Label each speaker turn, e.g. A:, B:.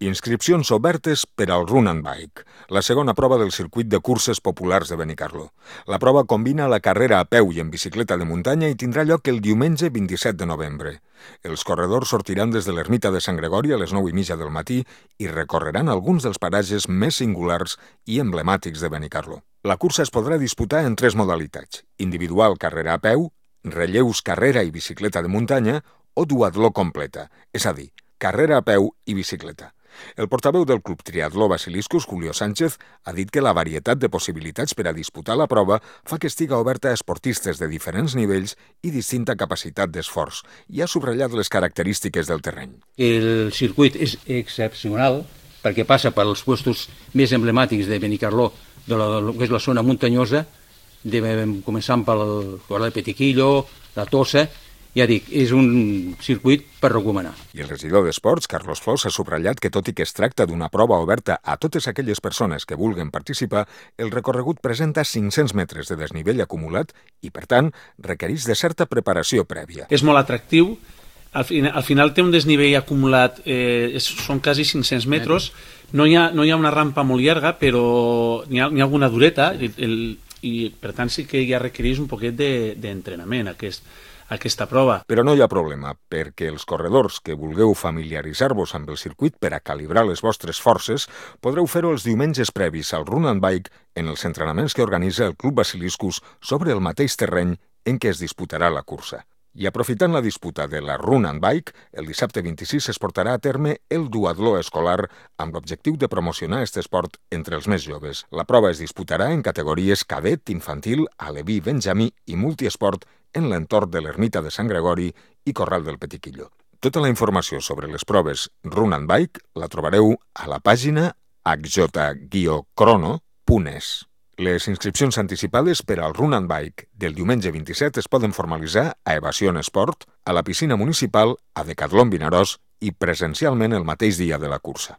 A: Inscripcions obertes per al Run and Bike, la segona prova del circuit de curses populars de Benicarló. La prova combina la carrera a peu i en bicicleta de muntanya i tindrà lloc el diumenge 27 de novembre. Els corredors sortiran des de l'ermita de Sant Gregori a les 9:30 del matí i recorreran alguns dels paratges més singulars i emblemàtics de Benicarló. La cursa es podrà disputar en 3 modalitats: individual carrera a peu, relleus carrera i bicicleta de muntanya o duatló completa, és a dir, carrera a peu i bicicleta. El portaveu del Club Triatló Basiliscus, Julio Sánchez, ha dit que la varietat de possibilitats per a disputar la prova fa que estiga oberta a esportistes de diferents nivells i distinta capacitat d'esforç, i ha subratllat les característiques del terreny.
B: El circuit és excepcional perquè passa pels puestos més emblemàtics de Benicarló, de lo que és la zona muntanyosa, començant pel Corral de Petiquillo, la Tossa. Ja dic, és un circuit per recomanar.
A: I el regidor d'Esports, Carlos Flors, ha subratllat que tot i que es tracta d'una prova oberta a totes aquelles persones que vulguen participar, el recorregut presenta 500 metres de desnivell acumulat i, per tant, requereix de certa preparació prèvia.
C: És molt atractiu. Al final té un desnivell acumulat, són quasi 500 metres. No hi ha una rampa molt llarga, però n'hi ha alguna dureta i per tant sí que ja requereix un poquet d'entrenament aquesta prova.
A: Però no hi ha problema, perquè els corredors que vulgueu familiaritzar-vos amb el circuit per a calibrar les vostres forces podreu fer-ho els diumenges previs al Run and Bike en els entrenaments que organitza el Club Basiliscus sobre el mateix terreny en què es disputarà la cursa. I aprofitant la disputa de la Run and Bike, el dissabte 26 es portarà a terme el duatló escolar amb l'objectiu de promocionar aquest esport entre els més joves. La prova es disputarà en categories cadet, infantil, aleví, benjamí i multiesport en l'entorn de l'ermita de Sant Gregori i Corral del Petiquillo. Tota la informació sobre les proves Run and Bike la trobareu a la pàgina hj-crono.es. Les inscripcions anticipades per al Run and Bike del diumenge 27 es poden formalitzar a Evasion Esport, a la piscina municipal, a Decatlon Vinaròs i presencialment el mateix dia de la cursa.